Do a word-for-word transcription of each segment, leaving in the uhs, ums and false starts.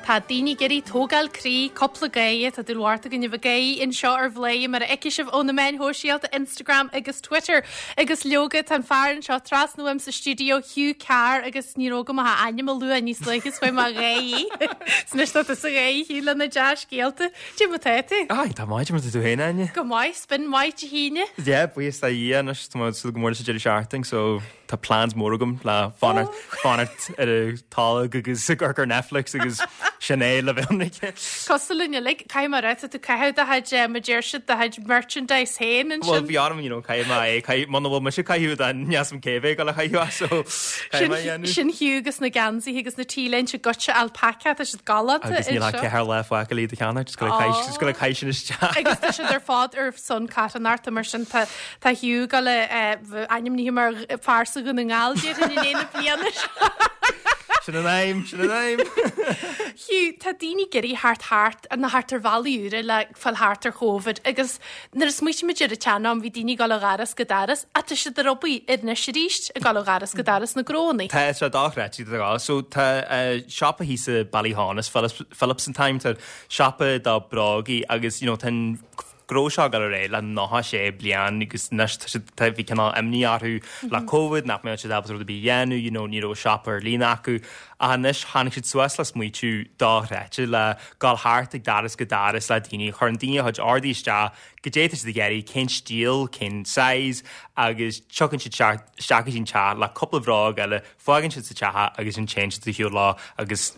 Tá daoine ag iarraidh tógáil croí, cúpla gáire, tá dúil mhór againn a bheith ag gáire anseo ar Bhladhaire mar a fheicfidh sibh ó na meáin shóisialta Instagram agus Twitter. Agus leoga tá an fear anseo trasna uaim sa stiúideo Hugh Carr agus ní raibh agam ach a ainm a lua níos luaithe is chuaigh mé ag gáire. Anois tá tusa ag gáire Hugh le na dea-scéalta. Cad é mar tá tú? Ai, tá maith mar tú féin Áine. Go maith, spin maith Dé hAoine. Yeah, buíochas le Dia anois tá súil go mór leis an deireadh seachtaine, so tá plans mór agam le fanacht fanacht ar an tolg agus ag amharc ar Netflix agus sin é le bheith ionraic. Cosúil linn uilig, caithfidh mé a rá, tá tú ag caitheamh do chuid mar a deir siad do chuid merchandise féin Well ansin. bhí orm you know, caithfidh mé é caithfidh muna bhfuil mise ag caitheamh then níl a fhios agam cé bheidh ag dul a chaitheamh so caithfidh mé a dhéanamh. Sin Hugh agus na geansaithe agus na t-léinte goitse alpaca tá siad galánta Agus níl ach anseo. ceathair lá fágtha le iad a cheannach, just go just go caitheamh sin isteach. Agus tá siad ar fad ar son carthanachta mar sin tá tá Hugh ag dul ainmnithe mar phearsa Dhún na nGall déarfainn i ndiaidh na bliana seo. Sin an aidhm, sin an aidhm. Hugh, tá daoine ag iarraidh thart thart na thart ar bhealaí úra le fáil thart ar Covid agus nuair a smaoitímid ar an tsean-am bhí daoine ag dul ó dhoras go doras ach tá siad ar obair anois arís ag dul ó dhoras go doras na gnónnaí. Tá sé dochreidte tá so tá uh, siopa thíos i Ballyhaunis Phillips, Phillips and Time tá siopa do bhrógaí agus you know, tá an gnó seo ag dul ar aghaidh le nócha sé bliain agus anois tá siad- tá bhí cineál imní orthu le Covid nach mbeadh siad ábalta rud ar bith a dhéanamh, you know, ní raibh siopa ar líne acu ach anois tháinig siad suas le smaoitiú dochreidte le dul thart ag doras go doras le daoine, chuireann daoine a chuid ordaí isteach goidé tá siad ag iarraidh cén stíl, cén size agus tugann siad isteach isteach go dtí an teach le cúpla bhróg eile, fágann siad sa teach agus ansin téann siad ar shiúl leo agus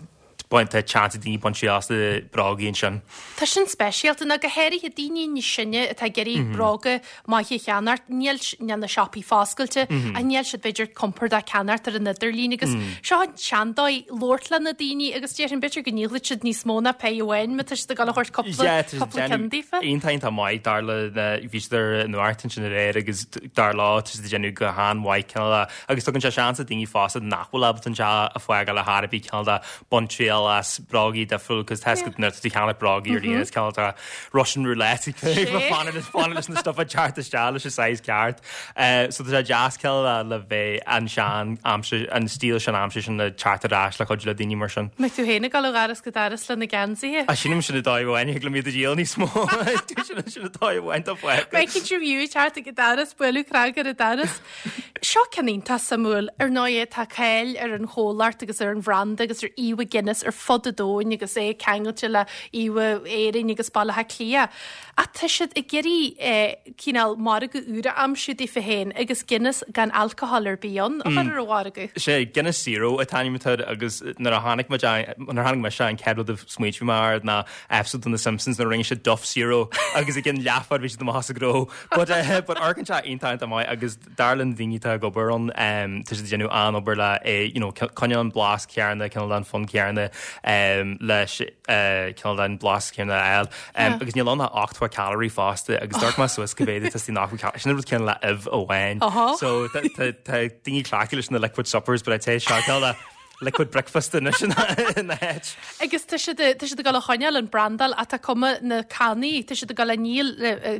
baint tá seans ag daoine baint triail as na brógaí ansin. Tá sin speisialta ná go háirithe daoine níos sine atá ag iarraidh bróga maithe a cheannacht, níl s- níl na siopaí foscailte a níl siad b'fhéidir compordach ceannacht ar an idirlíon agus seo an seandóigh labhairt le na daoine agus déarfainn b'fhéidir go ndíolfaidh siad níos mó ná pé amháin má tá siad ag dul a thabhairt cúpla cúpla ceann daofa. Iontach iontach maith dar le na bhí siad ar an nuacht ansin aréir agus dar leo tá siad ag déanamh go han-mhaith cineál de agus tugann sé seans do daoine fosta nach bhfuil ábalta an teach a fhágáil ar bith cineál de baint triail as brógaí difriúil cos tá nuair atá tú ag ceannach brógaí ar líne is cineál de Russian roulette fanacht fanacht leis na stuff a teacht isteach leis an size ceart. Uh, so tá sé deas cineál de le bheith an sean aimsir an stíl sin aimsir sin le teacht ar ais le cuid le daoine mar sin. Mbeidh tú féin ag dul ó dhoras go doras le na geansaithe. A sin sin a dá bhain le míad a díol níos mó sin sin atá bhain tá fágtha. Beidh interview teacht ag doras bualadh cnag ar an doras. Seo ceann iontach suimiúil ar ndóigh tá cáil ar an chomhlacht agus ar an bhranda agus ar íomhá Guinness ar fud an domhain agus é ceangailte le íomhá Éirinn agus Baile Átha Cliath. Ach tá siad ag iarraidh eh, cineál margadh úr a aimsiú daofa féin agus Guinness gan alcohol ar bith ann a chur ar an mhargadh. Sé Guinness Zero an t-ainm atá air agus nuair a tháinig muid nuair a tháinig mise an chéad rud a smaointigh mé air ná episode de na Simpsons nuair a rinne siad Duff Zero agus ag an leathfad bhí siad amach as a gnó. But uh, but amharcann sé iontach iontach maith agus dar le na daoine atá ag obair ann um, tá siad ag déanamh an-obair le é you know, coinneáil an blas céanna cineál an fonn céanna um, leis uh, cineál an blas céanna a fháil. Um, agus níl ann ach ochtó calorie fosta agus d'amharc mé suas go bhféidir tá nach sin rud céanna le ubh amháin. Aha. So tá daoine cleachtaithe leis na liquid suppers, but I'd say seo cineál de liquid breakfast anois ina háit. Agus tá siad tá siad ag dul a choinneáil an brandáil atá cuma na cannaí, tá siad ag dul a ndíol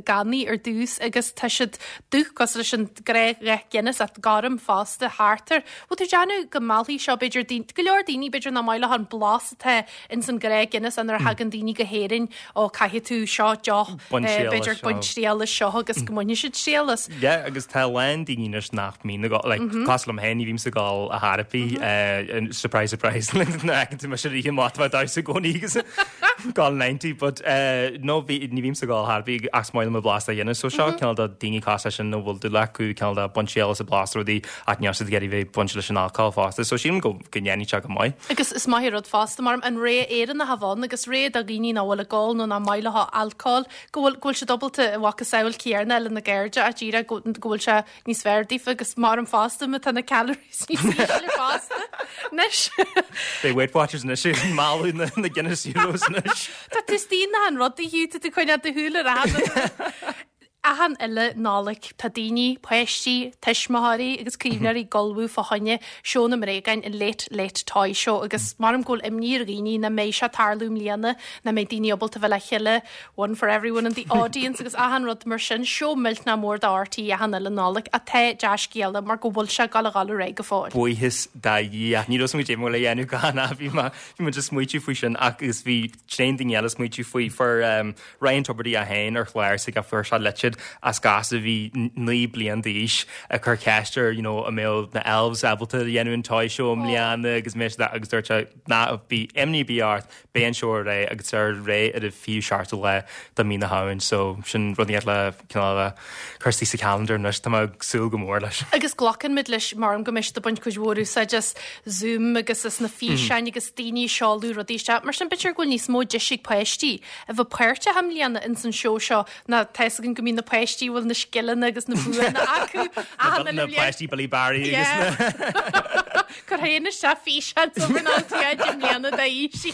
cannaí ar dtús agus tá siad dubh cosúil leis an ghnáthdhath Guinness ach gorm fosta thart air. Bhfuil tú déanamh go meallfaidh seo b'fhéidir daoine- go leor daoine b'fhéidir nach maith leo an blas atá ins an ghnáth Guinness an nuair a thagann daoine go hÉirinn ó caithfidh tú seo deoch Bain eh, triail b'fhéidir as seo. bain triail as seo agus go mbainfidh siad triail as. Yeah, agus tá lán daoine anois nach mbíonn ag like, cosúil liom féin ní bhím ag ól ar chor ar bith uh, surprise surprise na tú me sé rí mat da sa gcóí agus gal ninety but uh, no bhí ní bhím ag ól ar bith ach maith liom blas a dhéanamh so seo cineál de daoine cosúil sin nó bhfuil dúil acu cineál de bain triail as a blas rudaí ach níl siad ag iarraidh bheith bainte leis an alcohol fosta so sílim go go ndéanfaidh sé go maith. Agus is maith rud fosta mar an ré Éireannach a bhain agus ré do dhaoine nach bhfuil ag ól nó nach maith leo alcohol go bhfuil go bhfuil siad ábalta a mhacasamhail céanna lena gcairde a díreach go go bhfuil sé níos fearr daofa agus mar an fosta má tá na calories níos ísle fosta. Anois. Beidh Weight Watchers anois mealladh na na Guinness Zeros anois. Tá tú stína an rud a hiú tú coinne do shúil ar Achan uile Nollaig tá daoine, páistí, tuismitheoirí agus caomhnóirí ag ullmhú fá choinne seó na mbréagán an Late Late Toy Show agus maram go bhfuil imní ar dhaoine nach mbeidh sé ag tarlú i mbliana, nach mbeidh daoine ábalta bheith le chéile, one for everyone in the audience agus achan rud mar sin, seó millteanach mór do RTÉ achan uile Nollaig ach tá dea-scéala mar go bhfuil sé ag gabháil a dhul ar aghaidh go fóill. Buíochas do Dhia. Ní raibh muid le dhéanamh gan bhí bhí muid ag smaoitiú faoi sin agus bhí tréan daoine eile ag smaoitiú faoi fuair um, Ryan Tubridy é féin ar chlár sa fuair sé litir as gasúr a bhí naoi bliain d'aois ag cur ceist air you know, an mbeadh na elves ábalta dhéanamh an toy show i mbliana agus mé agus dúirt sé ná bí imní ar bith ort beidh an seó ar aghaidh agus ar aghaidh ar an fichiú seachtú lá de mí na Samhna so sin rud le cineál cur sa calendar anois tá ag súil go mór leis. Agus glacann muid leis mar go mbeidh ag baint cuid mhór úsáid as Zoom agus as na físeáin agus daoine ag seoladh rudaí isteach. Mar sin b'fhéidir go bhfuil níos mó deis ag páistí a bheith páirteach i mbliana ins an seó seo ná tá a fhios againn go mbíonn na páistí bhfuil na scileanna agus na buanna acu na páistí Billy Barry Cur féin isteach físeán i mbliana d'aois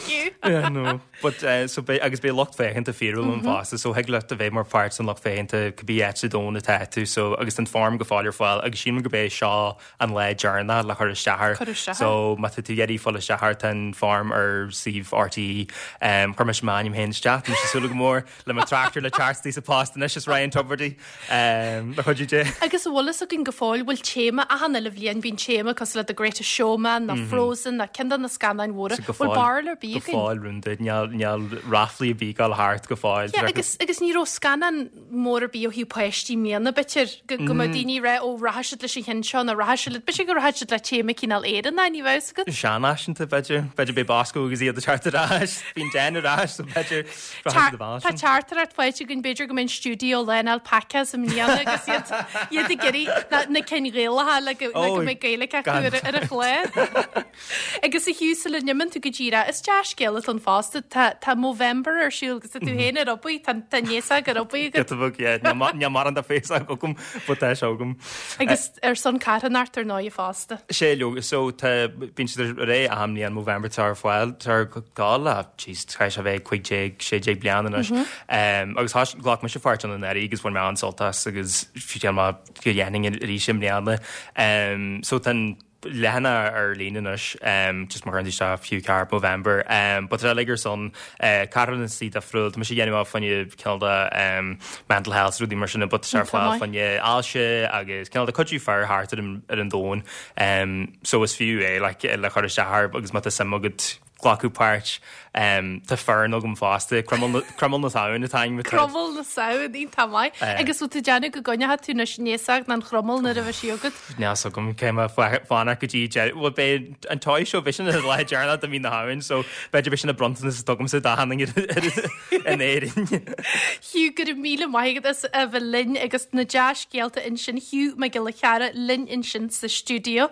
Yeah, no. But uh, so be, agus beidh lucht féachana fíorúil ann fosta, so thig leat a bheith mar pháirt an lucht féachana cibé áit sa domhan atá tú so agus an form go fóill ar fáil agus sílim go bé seo an lá deireanach le chur isteach Cur isteach. So má tá tú ag iarraidh fáil isteach tá an form ar suíomh RTÉ um, chuir mise m'ainm féin isteach tá súil go mór le mo tractor le teacht sa post anois is Ryan Tubridy um, le chuid dé. Agus bhfuil fhios againn go fóill bhfuil téama achan uile bhliain bíonn téama cosúil le The Greatest Showman nó Frozen nó ceann de na scannáin mhóra. Bhfuil barúil ar bith Go fóill rúnda níl ráflaí ar bith ag gabháil thart go fóill. Yeah, agus agus ní raibh scannán mór ar bith ó thaobh páistí i mbliana b'fhéidir go go mbeadh daoine rá ó rachaidh siad leis an cheann seo nó rachaidh siad b'fhéidir go rachaidh siad le téama cineál Éireannach ní bheadh agat. Seanfhaiseanta b'fhéidir b'fhéidir beidh Bosco agus iad teacht ar ais bíonn den ar ais so b'fhéidir Tá teachtaireacht faighte againn b'fhéidir go mbeidh stiúideo lán alpacas i mbliana agus iad iad ag iarraidh na cinn Ghaelacha le go le go mbeidh Gaeilge acu ar ar a chlár. Agus a Hugh sula n-imíonn tú go díreach is dea-scéal an fosta tá tá Movember ar siúl agus tá tú féin ar obair tá tá néasa ar obair agat. Ní mar an da féis agam but tá sé agam. Agus ar son carthanacht ar ndóigh fosta. Sé leo so tá bíonn siad ré am an Movember tar fáil tar gá le chaithfidh sé bheith cúig déag sé déag bliain anois. Um, agus tha ghlac mise páirt ann anuraidh agus bhain mé an-sult as agus fiú má go dhéanfainn arís i mbliana. Um, so tá leathanach ar líne anois um, just mar isteach Hugh Carr Movember um, but like ar son uh, carthanachtaí difriúil Tá sé dhéanamh fá choinne cineál de um, mental health rudaí mar sin but sé fáil fá choinne ailse agus cineál de cuidiú fear thart ar an ar an domhan um, so is fiú é like, le chur isteach agus má tá suim agat glacadh páirt um, tá foireann agam fosta Croimeal na Samhna atá Croimeal na Samhna tá maith agus tú déanamh go gcoinneoidh tú na néasach an chroimeal nuair a bheidh sí agat. Neas agam cé fánach go dtí well beidh an toy show bhí sin lá deireanach de mí na Samhna so b'fhéidir b'shin an bronntanas tugamsa d'achan duine in Éirinn. Hugh go raibh míle maith agat as a bheith linn agus na dea-scéalta ansin Hugh Mac Giolla Chearra linn ansin sa stiúideo.